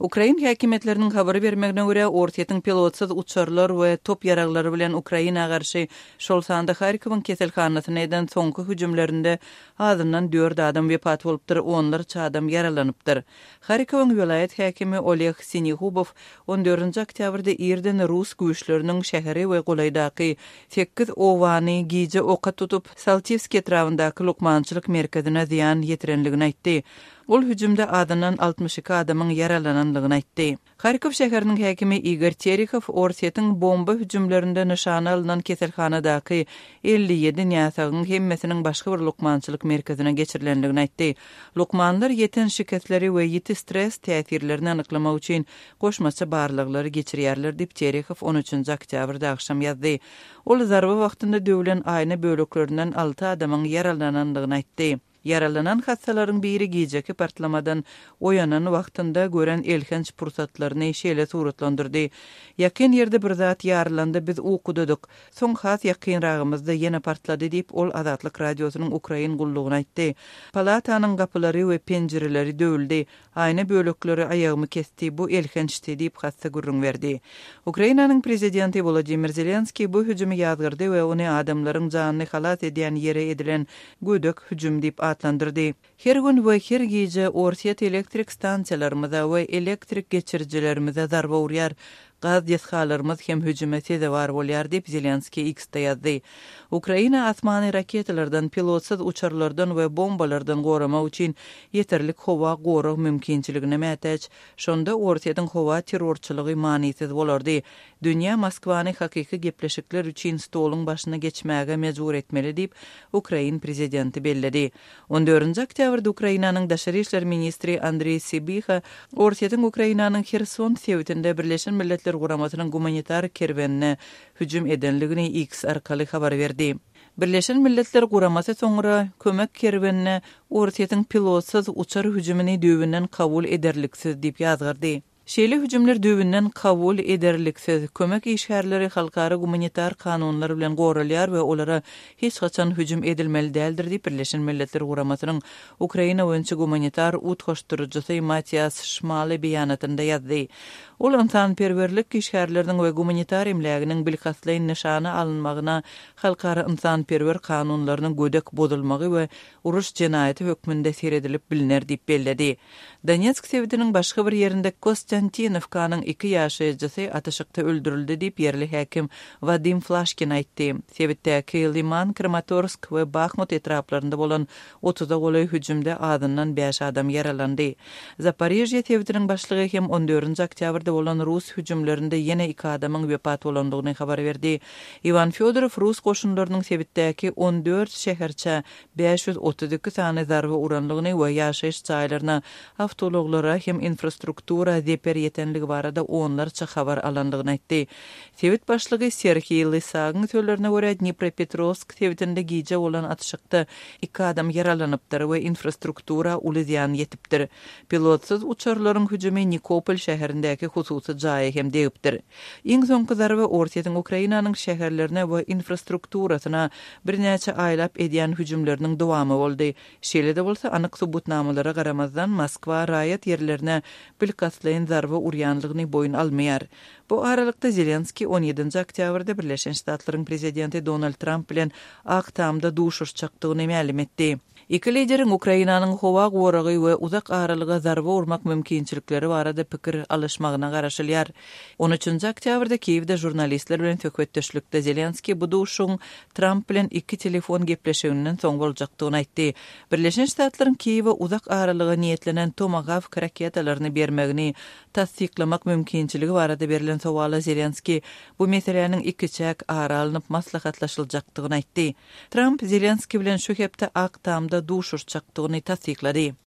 Ukrain häkimiýetleriniň habar bermegine görä, Orsýetiň pilotsyz uçarlar we top ýaraglary bilen Ukraina garşy, şol sanda Harkowyň keselhanasyna eden soňky hüjümlerinde azyndan dört adam wepat bolupdyr, onlarça adam ýaralanypdyr. Harkowyň welaýat häkimi Oleg Sinehubow on dördünji oktýabrda irden rus güýçleriniň şäheri we golaýdaky sekiz obany gije oka tutup, Saltiwskiý etrabyndaky lukmançylyk merkezine zyýan ýetirenligini aýtdy. Ol hüjümde azyndan 62 adamyň ýaralanandygyny aýtdy. Harkow şäheriniň häkimi Igor Terehow Orsýetiň bomba hüjümlerinde nyşana alnan keselhanadaky 57 näsagyň hemmesiniň başga bir lukmançylyk merkezine geçirilendigini aýtdy. Lukmanlar ýeten şikesleri we ýiti stres täsirlerini anyklamak üçin goşmaça barlaglary geçirýärler diýip, Terehow on üçünji oktýabrda agşam ýazdy. Ol zarba wagtynda döwlen aýna böleklerinden alty adamyň ýaralanandygyny aýtdy. Ýaralanan hassalaryň biri gijeki partlamadan oýanan wagtynda gören elhenç pursatlaryny şeýle suratlandyrdy, Ýakyn ýerde bir zat ýarylanda biz ukudadyk. Soň has ýakynragymyzda ýene partlady diýip, ol Azatlyk Radiosynyň ukrain gullugyna aýtdy. Palatanyň gapylary we penjireleri döwüldi. Aýna bölekleri aýagymy kesdi, bu elhençdi diýip, hassa gürrüň berdi. Ukrainanyň prezidenti Wolodymyr Zelenskiý bu hüjümi ýazgardy we ony adamlaryň janyny halas edýän ýere edilen gödek hüjüm diýip atlandyrdy. Her gün we her gije Orsýet elektrik stansiýalarymyza we elektrik geçirijilerimize zarba urýar. Gaz desgalarymyz hem hüjüme sezewar bolýar diýip, Zelenskiý X-de ýazdy. Ukraina asmany raketalardan, pilotsyz uçarlardan we bombalardan goramak üçin ýeterlik howa gorag mümkinçiligine mätäç. Şonda Orsýetiň howa terrorçylygy manysyz bolardy. Dünýä Moskwany hakyky gepleşikler üçin stoluň başyna geçmäge mejbur etmeli diýip, ukrain prezidenti belledi. On dördünji oktýabrda Ukrainanyň daşary işler ministri Andreý Sybiha Orsýetiň Ukrainanyň Herson sebitinde Birleşen Milletler Guramasynyň gumanitar kerwenine hüjüm edenligini X arkaly habar berdi. Birleşen Milletler Guramasy soňra kömek kerwenine Orsýetiň pilotsyz uçar hüjümini düýbünden kabul ederliksiz diýip ýazgardy. Şeýle hüjümler düýbünden kabul ederliksiz. Kömek işgärleri halkara gumanitar kanunlar bilen goralýar we olara hiç haçan hüjüm edilmeli däldir diýip, Birleşen Milletler Guramasynyň Ukraina boýunça gumanitar utgaşdyryjysy Matias Şmale beýanatynda ýazdy. Ol ynsanperwerlik işgärleriniň we gumanitar emläginiň bilkastlaýyn nyşana alynmagyna halkara ynsanperwer kanunlarynyň gödek bozulmagy we uruş jenaýaty hökmünde seredilip bilner diýip belledi. Donetsk sebitiniň başga bir ýerinde Kostýantinowkanyň iki ýaşaýjysy atyşykda öldürildi diýip, ýerli häkim Wadim Flaşkin aýtdy. Sebitdäki Liman, Kramatorsk we Bahmut etraplarynda bolan otuza golaý hüjümde azyndan bäş adam ýaralandy. Zaporižýe sebitiniň başlygy hem on dördünji oktýabrda bolan rus hüjümlerinde ýene iki adamyň wepat bolandygyny habar berdi. Iwan Fýodorow rus goşunlarynyň sebitdäki on dört şäherçä 532 sany zarba uranlygyny we ýaşaýyş jaýlaryna, awtoulaglara hem infrastruktura zeper ýetenligi barada onlarça habar alandygyny aýtdy. Sebit başlygy Serhiý Lysagyň sözlerine görä, Dnipropetrowsk sebitinde gije bolan atyşykda iki adam ýaralanypdyr we infrastruktura uly zyýan ýetipdir. Pilotsyz uçarlaryň hüjümi Nikopol şäherindäki hususy jaýa hem degipdir. Iň soňky zarba Orsýetiň Ukrainanyň şäherlerine we infrastrukturasyna birnäçe aýlap edýän hüjümleriniň dowamy boldy. Şeýle-de bolsa, anyk subutnamalara garamazdan, Moskwa raýat ýerlerine bilkastlaýyn zarba urýanlygyny boýun almaýar. Bu aralykda, Zelenskiý on ýedinji oktýabrda Birleşen Ştatlaryň prezidenti Donald Tramp bilen Ak Tamda duşuşjakdygyny mälim etdi. Iki lideriň Ukrainanyň howa goragy we uzak aralyga zarba urmak mümkinçilikleri barada pikir alyşmagyna garaşylýar. On üçünji oktýabrda Kiýewde žurnalistler bilen söhbetdeşlikde Zelenskiý bu duşuşygyň Tramp bilen iki telefon gepleşiginden soň boljakdygyny aýtdy. Birleşen Ştatlaryň Kiýewe uzak aralyga niýetlenen Tomahawk raketalaryny bermegini tassyklamak mümkinçiligi barada berlen sowala Zelenskiý bu meseläniň ikiçäk ara alnyp maslahatlaşyljakdygyny aýtdy. Tramp Zelenskiý bilen şu hepde Ak Tamda duşuşjakdygyny tassyklady.